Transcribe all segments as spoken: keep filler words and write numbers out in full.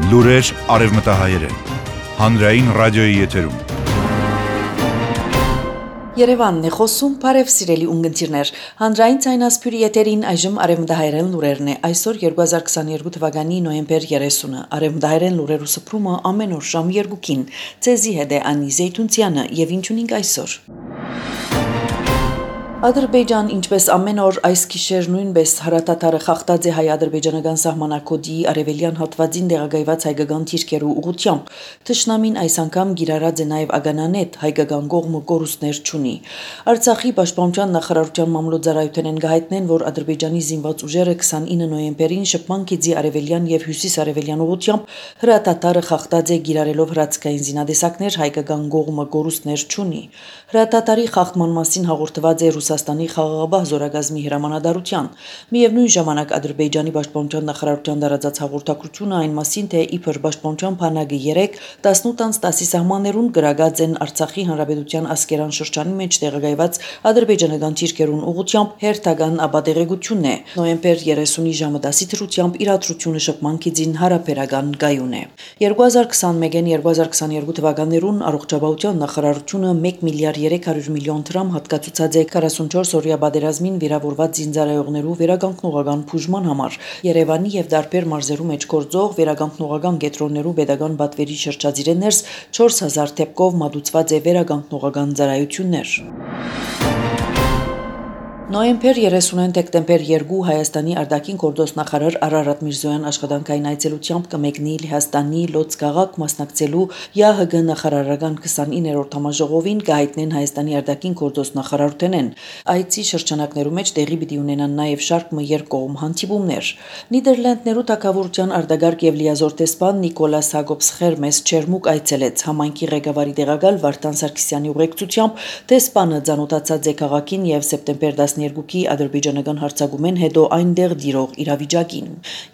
Լուրեր արևմտահայերեն, հանրային ռադիոյի եթերում։ Երևանն է խոսում, բարև սիրելի ունգընտիրներ, հանրային ցայնասփյուրի եթերին այժմ արևմտահայերեն լուրերն է, այսօր երկու հազար քսաներկու թվականի նոյեմբեր երեսունը, արևմտահայերեն լուրերու սփռումը ամեն օր ժամ երկուքին, ցեզի հետ է Անի Զեյթունցյանը եւ ինչ ունենք այսօր։ Ադրբեջան, ինչպես ամեն օր այս գիշեր նույնպես հարատատարը խախտած է հայ-ադրբեջանական սահմանակոդի արևելյան հատվածին տեղակայված հայկական թիրքերու ուղղությամբ։ Թշնամին այս անգամ գիրառած է նաև ագանանետ հայկական կողմը կորուստներ չունի։ Արցախի պաշտպանության նախարարության մամլոյցարայութեն գահիտնեն, որ Ադրբեջանի զինված ուժերը քսանինը նոյեմբերին շփման գծի արևելյան եւ հյուսիս-արևելյան ուղղությամբ հրատատարը խախտած է գիրառելով հրացքային զինադեսակներ հայկական կողմը կորուստներ չունի։ Հրատատարի խախտման մասին հաղորդված է Ռուսաստանի խաղաղաբահ զորագազմի հրամանատարության։ Միևնույն ժամանակ Ադրբեջանի պաշտպանության նախարարության տարածած հաղորդակցությունը այն մասին, թե իբր պաշտպանության բանակը երեք տասնութ անց տասի սահմաններուն գրագած են Արցախի հանրապետության ասկերան շրջանի մեջ տեղակայված ադրբեջանական թիրքերուն ուղղությամբ հերթական ապատեղեկությունն է։ Նոյեմբեր երեսունի ժամը դասի թրությամբ իրադրությունը շփման գծին հարաբերական գայուն է։ երկու հազար քսանմեկին երկու հազար քսաներկու թվականներուն առողջապահության նախարարությունը մեկ միլիարդ երեք հարյուր միլիոն դրամ հատկացուցած է քառասունչորս օրյա պատերազմին վիրավորված զինծառայողներու վերականգնողական բուժման համար Երևանի եւ դարբեր մարզերու մեջ գործող վերականգնողական կենտրոններու pedagogan բատվերի շրջածիրեն ներս չորս հազար դեպքով մատուցված է վերականգնողական ծառայություններ։ Նոյեմբեր երեսունին դեկտեմբեր երկու Հայաստանի արտաքին գործոստ նախարար Արարատ Միրզոյան աշխատանքային այցելությամբ կմեկնի Լեհաստանի Լոծկ քաղաք մասնակցելու ԵԱՀԳ նախարարական քսանիններորդ համաժողովին գահիտնեն Հայաստանի արտաքին գործոստ նախարարութենեն։ Այցի շրջանակներու մեջ տեղի պիտի ունենան նաև շարք մը երկկողմ հանդիպումներ։ Նիդերլանդներու թագավորության արտագարկ եւ լիազոր տեսփան Նիկոլաս Հակոբս Խերմես Չերմուկ այցելեց համայնքի ղեկավարի տեղակալ Վարդան Սարգսյանի ուղեկցությամբ տեսփանը ցանոթացած է քաղաքին եւ սեպտեմբեր երկուքի ադրբեջանական հարձակումեն հետո այնտեղ դիրող իրավիճակին։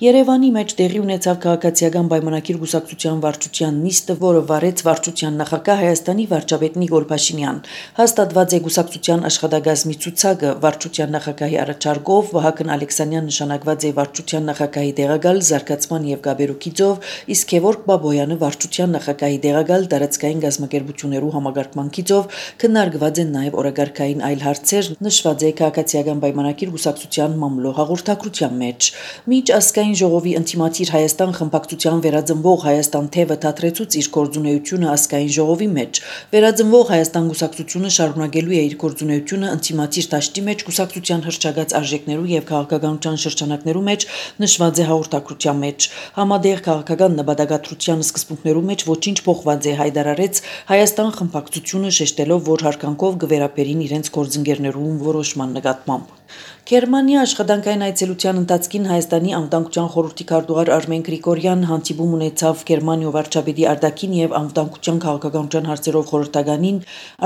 Երևանի մեջ տեղի ունեցավ քաղաքացիական պայմանագիր գուսակցության վարչության նիստը, որը վարեց վարչության նախագահ Հայաստանի վարչապետ Նիկոլ Փաշինյան։ Հաստատված է գուսակցության աշխատակազմի ցուցակը, վարչության նախագահի առաջարկով Վահագն Ալեքսանյան նշանակված է վարչության նախագահի տեղակալ զարգացման եւ գաբերուքի ծով, իսկ Գևորգ Բաբոյանը վարչության նախագահի տեղակալ տարածքային գազམ་ակերպություններու համագարկման ծով քննարկված են նաեւ օրագարկային այլ հարցեր, նշված է քաղաքացիական պայմանագիր գուսակցության մամլո հաղորդակցության մեջ։ Միջ ազգային ժողովի ինտիմատիր Հայաստան խմբակցության վերածնվող Հայաստան թևը դադրեցուց իր գործունեությունը ազգային ժողովի մեջ։ Վերածնվող Հայաստան գուսակցությունը շարունակելու է իր գործունեությունը ինտիմատիր դաշտի մեջ գուսակցության հրճագած արժեքներու եւ քաղաքականության շրջանակներու մեջ նշված է հաղորդակցության մեջ։ Համադեղ քաղաքական նպատակադրության սկզբունքներու մեջ ոչինչ փոխված է հայտարարեց Հայաստան խմբակցությունը շեշտելով, որ հարկանքով կվերապերին իրենց գործընկերներուն որոշման նկատմամբ։ Գերմանիա աշխատանքային այցելության ընթացքին Հայաստանի անվտանգության խորհրդի քարտուղար Արմեն Գրիգորյան հանդիպում ունեցավ Գերմանիա վարչապետի արտաքին եւ անվտանգության քաղաքականության հարցերով խորհրդականին,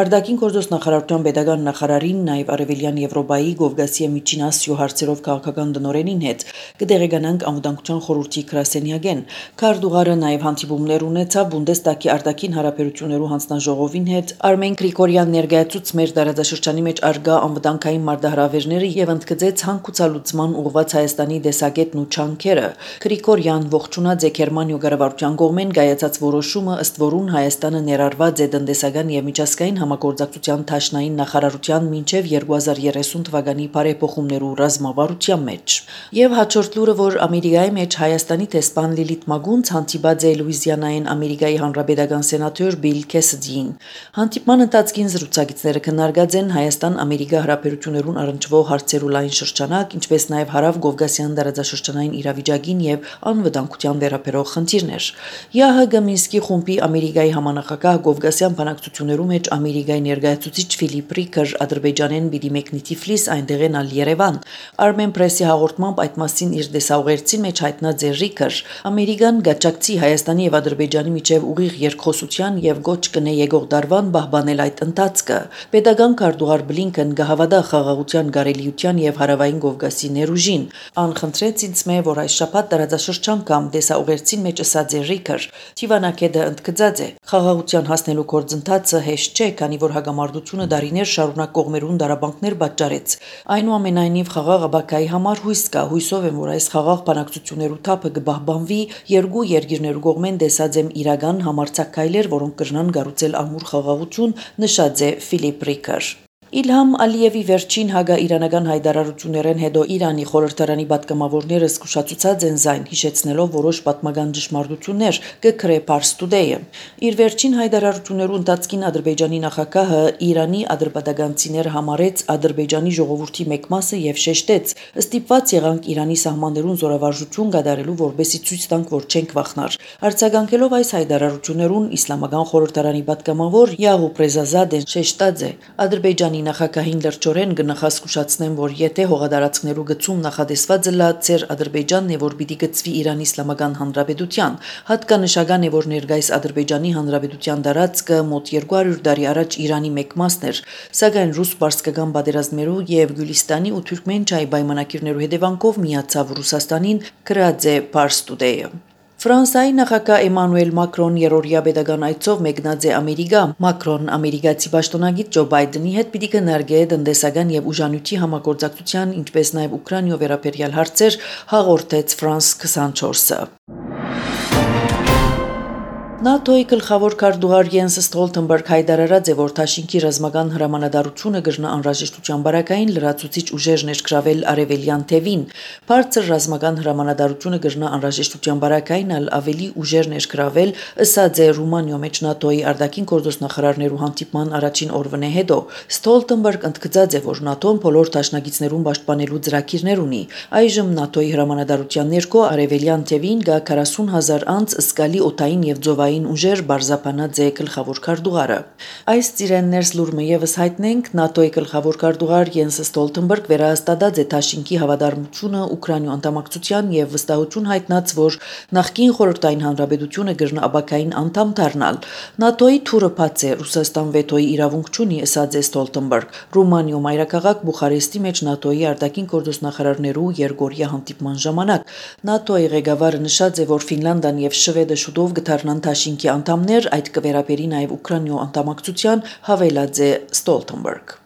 արտաքին գործոստ նախարարության pedagogan նախարարին, նաեւ Արևելյան Եվրոպայի Կովկասիա Միջին Ասիո հարցերով քաղաքական դնորենին հետ կդեղեկանանք անվտանգության խորհրդի գրասենյակեն։ Քարտուղարը նաեւ հանդիպումներ ունեցավ Բունդեստագի արտաքին հարաբերություններու հանձնաժողովին հետ։ Արմեն Գրիգորյան ներկայացուց մեր տարածաշրջանի մեջ արգա անվտանգային մարտահրավերները եւ ընդգծեց հանգուցալուծման ուղղված Հայաստանի դեսագետն ու չանքերը։ Գրիգորյան ողջունած է Գերմանիա կառավարության կողմեն կայացած որոշումը, ըստ որուն Հայաստանը ներառված է տնտեսական եւ միջազգային համագործակցության դաշնային նախարարության մինչեւ երկու հազար երեսուն թվականի բարեփոխումներու ռազմավարության մեջ։ Եվ հաջորդ լուրը, որ Ամերիկայի մեջ Հայաստանի տեսփան Լիլիթ Մագունց հանդիպած է Լուիզիանային Ամերիկայի հանրապետական սենատոր Բիլ Քեսիդին։ Հանդիպման ընթացքին զրուցակիցները քննարկած են Հայաստան-Ամերիկա հարաբերություններուն առնչվող հարցերու լայն շրջանակ, ինչպես նաև հարավ Կովկասյան տարածաշրջանային իրավիճակին եւ անվտանգության վերաբերող խնդիրներ։ ԵԱՀԳ Մինսկի խումբի Ամերիկայի համանախագահ Կովկասյան բանակցություններու մեջ Ամերիկայի ներկայացուցիչ Ֆիլիպ Ռիկեր Ադրբեջանեն պիտի մեկնի Թիֆլիս, այնտեղեն ալ Երևան։ Armen Press-ի հաղորդմամբ այդ մասին իր դեսաուղերձին մեջ հայտնած է Ռիկեր։ Ամերիկան գաճակցի Հայաստանի եւ Ադրբեջանի միջև ուղիղ երկխոսության եւ գոչ կնե եկող դարվան բահբանել այդ ընթացքը։ Պետական քարտուղար Բլինքեն գահավադա խաղաղության գարելի Արևելյան եւ Հարավային Կովկասի ներուժին։ Ան խնդրեց ինձ մե, որ այս շաբաթ տարածաշրջան կամ դեսաուղերձին մեջ ըսած է ռիքր։ Թիվանակեդը ընդգծած է։ Խաղաղության հասնելու գործընթացը հեշտ չէ, քանի որ հագամարտությունը դարիներ շարունակ կողմերուն դարաբանքներ պատճառեց։ Այնուամենայնիվ խաղաղ աբակայի համար հույս կա, հույսով եմ, որ այս խաղաղ բանակցություններու թափը կբահբանվի, երկու երկիրներու կողմեն դեսած եմ իրական համարձակայլեր, որոնք կրնան գառուցել ամուր խաղաղություն, նշած է Ֆիլիպ Ռիքեր։ Իլհամ Ալիևի վերջին հագա-իրանական հայտարարություններեն հետո Իրանի խորհրդարանի պատգամավորները զսկուշացուցած են զայն, հիշեցնելով որոշ պատմական ճշմարտություններ, կգրե Pars Today-ը։ Իր վերջին հայտարարություններու ընթացքին Ադրբեջանի նախագահը Իրանի ադրբեջանցիները համարեց Ադրբեջանի ժողովրդի մեկ մասը եւ շեշտեց. «Ստիպված եղանք Իրանի սահմաններուն զորավարժություն կատարելու, որբեսի ցույց տանք, որ չենք վախնար»։ Արձագանքելով այս հայտարարություններուն իսլամական խորհրդարանի պատգամավոր Յաղուբ Ռեզազադեն շեշտած է. «Ադրբեջանի նախագահին լրջորեն կնախազգուշացնեմ, որ եթե հողադարձներու գծում նախադեсված լա ծեր Ադրբեջանն է, որ պիտի գծվի Իրանի Իսլամական Հանրապետության, հատկանշական է, որ ներկայիս Ադրբեջանի Հանրապետության տարածքը մոտ երկու հարյուր տարի առաջ Իրանի մեկ մասն էր, սակայն ռուս-պարսկական պատերազմներու եւ Գյուլիստանի ու Թուրքմենչայի պայմանագիրներու հետևանքով միացավ Ռուսաստանին», գրած է Pars Today-ը։ Ֆրանսիայի նախագահ Էմանուել Մակրոն երրորդյա պետական այցով մեկնած է Ամերիկա։ Մակրոն ամերիկացի պաշտոնագետ Ջո Բայդենի հետ պիտի քննարկի տնտեսական եւ ուժանյութի համագործակցության, ինչպես նաեւ Ուկրաինայով վերաբերյալ հարցեր, հաղորդեց Ֆրանս քսանչորսը։ ՆԱՏՕ-ի գլխավոր քարտուղար Յենս Ստոլտենբերգ հայտարարած է, որ Թաշինքի ռազմական հրամանատարությունը կրնա անհրաժեշտության բարակային լրացուցիչ ուժեր ներկրավել արևելյան թևին։ Բարձր ռազմական հրամանատարությունը կրնա անհրաժեշտության բարակային ալ ավելի ուժեր ներկրավել, ըսած է Ռումանիո մեջ ՆԱՏՕ-ի արտաքին գործոստնախարարներու հանդիպման առաջին օրվանե հետո։ Ստոլտենբերգ ընդգծած է, որ ՆԱՏՕ-ն բոլոր դաշնակիցներուն պաշտպանելու ծրագիրներ ունի։ Այժմ ՆԱՏՕ-ի հրամանատարության ներքո արևելյան թևին կա քառասուն հազար անց զգալի օդային եւ ձովային ուժեր բարձապանած է գլխավոր քարտուղարը։ Այս ծիրեններս լուրմը եւս հայտնենք ՆԱՏՕ-ի գլխավոր քարտուղար Յենս Ստոլտենբերգ վերահաստատած է Թաշինքի հավատարմությունը Ուկրաինու անդամակցության եւ վստահություն հայտնած, որ նախկին խորհրդային հանրապետությունը կրնա աբակային անդամ դառնալ։ ՆԱՏՕ-ի թուրը բաց է, Ռուսաստան վետոյի իրավունք չունի, ըսած է Ստոլտենբերգ։ Ռումանիո մայրաքաղաք Բուխարեստի մեջ ՆԱՏՕ-ի արտաքին գործոստնախարարներու երկօրյա հանդիպման ժամանակ ՆԱՏՕ-ի ղեկավարը նշած է, որ Ֆինլանդիան եւ Շվեդը շուտով կդառնան Թաշինքի անդամներ, այդ կվերապերի նաև Ուկրաինայու անդամակցության, հավելած է Ստոլտենբերգ։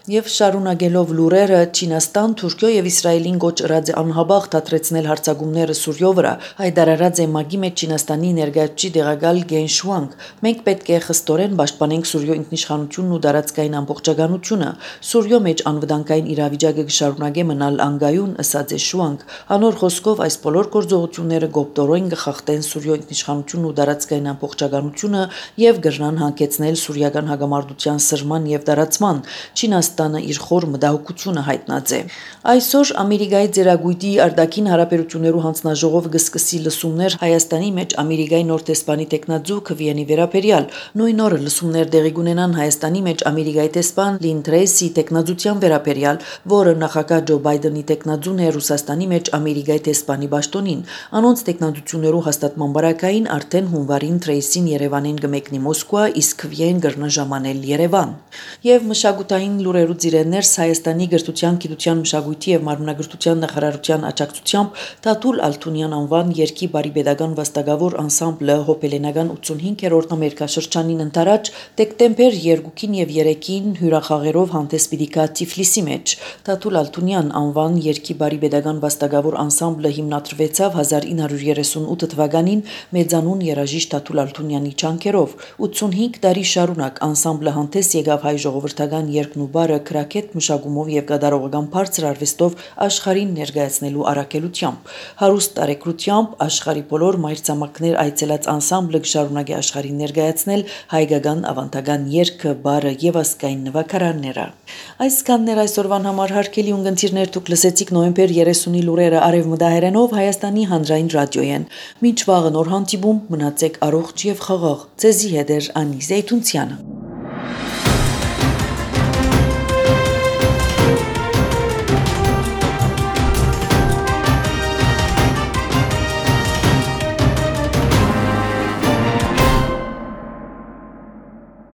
Եվ շարունակելով լուրերը, Չինաստան, Թուրքիո եւ Իսրայելին գոչ ըրած է անհաբաղ դադրեցնել հարձակումները Սուրիո վրա, հայտարարած է ՄԱԳ-ի մեջ Չինաստանի ներկայացուցիչ դեղակալ Գեն Շուանգ։ Մենք պետք է խստորեն պաշտպանենք Սուրիո ինքնիշխանությունն ու տարածքային ամբողջականությունը։ Սուրիո մեջ անվտանգային իրավիճակը կշարունակե մնալ անգայուն, ըսած է Շուանգ։ Անոր խոսքով այս բոլոր գործողությունները գոպտորոին կխախտեն Սուրիո ինքնիշխանությունն ու տարածքային ամբողջականությունը եւ կրնան հանգեցնել սուրիական հագամարտության սրման եւ տարածման։ Չինաստանը իր խոր մտահոգությունը հայտնած է։ Այսօր Ամերիկայի ծերագույտի արտաքին հարաբերություններու հանձնաժողովը կսկսի լսումներ Հայաստանի մեջ Ամերիկայի նոր տեսփանի տեխնաձու Քվիենի վերաբերյալ։ Նույն օրը լսումներ տեղի կունենան Հայաստանի մեջ Ամերիկայի տեսփան Լին Թրեյսի տեխնաձության վերաբերյալ, որը նախագահ Ջո Բայդենի տեխնաձուն է Ռուսաստանի մեջ Ամերիկայի տեսփանի պաշտոնին։ Անոնց տեխնաձություններու հաստատման բարակային արդեն հունվարին Թրեյսին Երևանին կմեկնի Մոսկվա, իսկ Քվիեն կրնա ժամանել Երևան։ Եվ մշակութային լուրերու ծիրեններս Հայաստանի գրթության, գիտության, մշակույթի եւ մարմնագրթության նախարարության աջակցությամբ Տաթուլ Ալթունյան անվան երկի բարի pedagogan վաստակավոր անսամբլը հոպելենական ութսունհինգերորդ ամերիկաշրջանին ընթരാճ դեկտեմբեր երկուին եւ երեքին հյուրախաղերով հանդես պիտի գա Թիֆլիսի մեջ։ Տաթուլ Ալթունյան անվան երկի բարի pedagogan վաստակավոր անսամբլը հիմնադրվեցավ հազար ինը հարյուր երեսունութ թվականին մեծանուն երաժիշտ Տաթուլ Ալթունյանի ջանքերով։ ութսունհինգ տարի շարունակ անսամբլը հանդես եկավ հայ ժողովրդական երկն ու բարը քրակետ մշակումով եւ գդարողական բարձր արվեստով աշխարհին ներկայացնելու առաքելությամբ։ Հարուստ տարեկրությամբ աշխարհի բոլոր մայրցամաքներ այցելած անսամբլը կշարունակի աշխարհին ներկայացնել հայկական ավանդական երգը, բարը եւ ազգային նվագարանները։ Այսքաններ այսօրվան համար հարգելի ունգընտիրներ, դուք լսեցիք նոյեմբեր երեսունի լուրերը արևմտահայերենով Հայաստանի հանրային ռադիոյեն։ Մինչ վաղը նոր հանդիպում, մնացեք առողջ եւ խաղաղ։ Ձեզի հետ է Անի Զեյթունցյանը։